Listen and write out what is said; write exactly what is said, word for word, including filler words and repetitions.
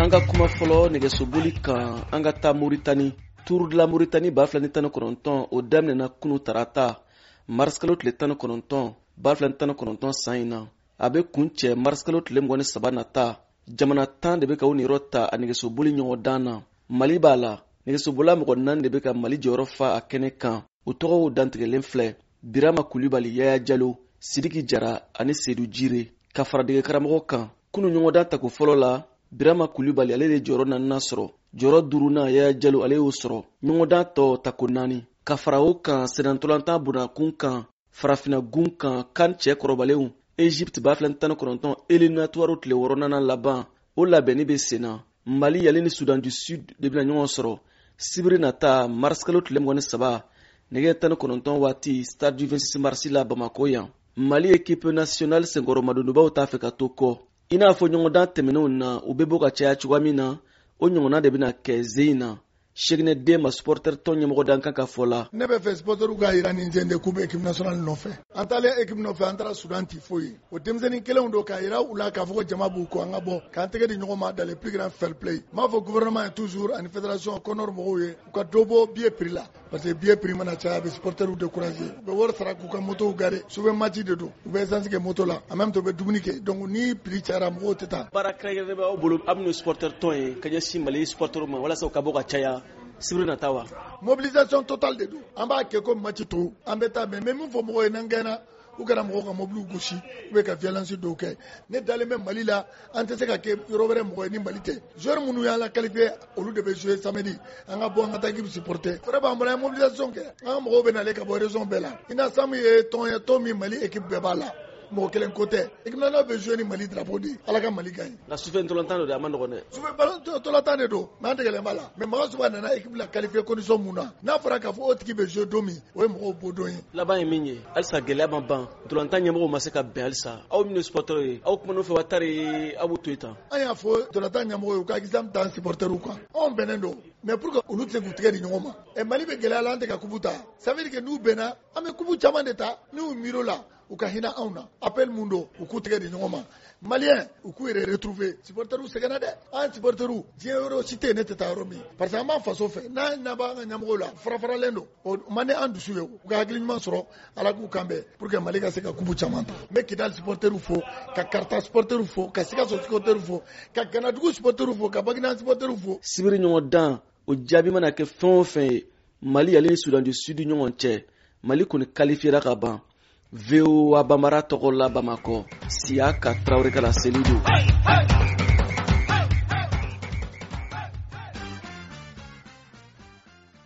An ka kuma fɔlɔ nɛgɛsoboli kan, an ka taa Moritani. Tour de la Mauritanie ba fila ni tan ni kɔnɔntɔn, o daminɛna kunu tarata, marisikalo tile tan ni kɔnɔntɔn ba fila ni tan ni kɔnɔntɔn san in na. A bɛ kun cɛ marisikalo tile mugan ni saba nata. Jamana tan de bɛ ka u niyɔrɔ ta a nɛgɛsoboli ɲɔgɔndan na. Mali b'a la. Nɛgɛsobolila mɔgɔ naani de bɛ ka Mali jɔyɔrɔ fa a kɛnɛ kan. U tɔgɔw dantigɛlen filɛ: Birama Kulibali, Yaya Jalo, Sidiki Jara ani Sedu Jire, ka fara dege karamɔgɔ kan. Kunu ɲɔgɔndan tako fɔlɔ la, Birama Kulibali, ale de jɔyɔrɔ naaninan sɔrɔ. Jɔyɔrɔ duurunan, Yaya Jalo, ale y'o sɔrɔ. Ɲɔgɔndan tɔ tako naani. Ka fara o kan, sennantolatan bonnakun kan, farafinna gun kan, kan cɛ kɔrɔbalenw Egypte ba fila ni tan ni kɔnɔntɔn éliminatoire tile wɔɔrɔnan laban, o labɛnni bɛ sen na. Mali ale ni Soudan du Sud de bɛna ɲɔgɔn sɔrɔ sibiri nata, marisikalo tile mugan ni saba, nɛgɛ tan ni kɔnɔntɔn waati, stade du vingt-six mars la, Bamako yan. Mali équipe nationale senkɔrɔmadonbaw t'a fɛ ka to kɔ. I n'a fɔ ɲɔgɔndan tɛmɛnenw na, u bɛ bɔ ka caya cogoya min na, o ɲɔgɔnna de bɛna kɛ ze in na. Seginɛ den ma, supporter tɔn ɲɛmɔgɔ dan kan ka fɔ la. Ne bɛ fɛ supporterw k'a jira nin sen de k'u bɛ équipe nationale nɔfɛ. An taalen équipe nɔfɛ, an taara Soudan ti foyi ye. O denmisɛnnin kelenw don k'a jira u la k'a fɔ ko jama b'u kɔ, an ka bɔ k'an tɛgɛ di ɲɔgɔn ma dans le plus grand fair play. N b'a fɔ gouvernement ye toujours ani fédération CONOR mɔgɔw ye, u ka dɔ bɔ billet prix la, parce que billet prix mana caya, a bɛ supporterw décourager. U bɛ wari sara k'u ka motow garer, sufɛ match de don, u bɛ essence kɛ moto la, en même temps u bɛ dumuni kɛ. Donc ni prix cayara, mɔgɔw tɛ taa. Baara kɛrɛnkɛrɛnnen b'aw bolo, aw minnu supporter tɔn ye, ka ɲɛsin Mali supporterw ma walasa u ka bɔ ka caya sibiri nata wa? Mobilisation totale de don. An b'a kɛ ko match tɔw, an bɛ taa. Mais n bɛ min fɔ mɔgɔw ye, n'an gɛnna, u kana mɔgɔw ka mobiliw gosi ou bien ka violence dɔw kɛ. Ne dalen bɛ Mali la, an tɛ se ka kɛ yɔrɔ wɛrɛ mɔgɔ ye ni Mali tɛ. Joueur minnu y'an la qualifié, olu de bɛ jouer samedi. An ka bɔ, an ka taa équipe supporter. Fɛɛrɛ b'an bolo, an ye mobilisation kɛ, an ka mɔgɔw bɛ nalen ka bɔ région bɛɛ la. UNASAM ye tɔn ye, tɔn min Mali équipe bɛɛ b'a la, mɔgɔ kelen ko tɛ. Équipe nationale bɛ jouer ni Mali drapeau de ye. Ala ka Mali gagner. Nka sufɛ ntolantan don dɛ, a ma nɔgɔn dɛ. Sufɛ ntolantan de don, mais an degelen b'a la. Mais Magassouba nana équipe la qualifié condition mun na, n'a fɔra k'a fɔ o tigi bɛ jouer don min, o ye mɔgɔw bɔ don ye. Laban ye min ye, halisa gɛlɛya ma ban, ntolantan ɲɛmɔgɔw ma se ka bɛn halisa. Aw minnu ye supporter ye, aw kumana u fɛ wa tari aw b'u to yen tan? An y'a fɔ ntolantan ɲɛmɔgɔw ye, u ka exemple t'an supporterw kan. Anw bɛnnen don, mais pour que olu tɛ se k'u tigɛ di ɲɔgɔn ma. Ɛ, Mali bɛ gɛlɛya la, an tɛ ka coupe ta, ça veut dire que n'u bɛnna, an bɛ coupe caman de ta. N'u miir'o la, u ka hinɛ anw na. Appel mun don, u k'u tɛgɛ di ɲɔgɔn ma. Malien, u k'u yɛrɛ retrouver. Supporterw sɛgɛnna dɛ. An supporterw, diɲɛ yɔrɔ si tɛ yen ne tɛ taa yɔrɔ min, parce que an b'an faso fɛ. N'an ɲɛ b'an ka ɲɛmɔgɔw la, fara faralen don, o man di an dusu ye. U ka hakili ɲuman sɔrɔ, Ala k'u kan bɛn pour que Mali ka se ka coupe caman ta. N bɛ Kidali supporterw fo, ka Karata supporterw fo, ka Sikaso supporterw fo, ka Ganadugu supporterw fo, ka Baginda supporterw fo. Sibiri ɲɔgɔn dan, o jaabi mana kɛ fɛn o fɛn ye Mali ale ni Soudan du Sud ɲɔgɔn cɛ, Mali kɔni qualifiera ka ban. V O A Bambara tɔgɔ la, Bamakɔ, Siyaka Tarawele ka laseli don.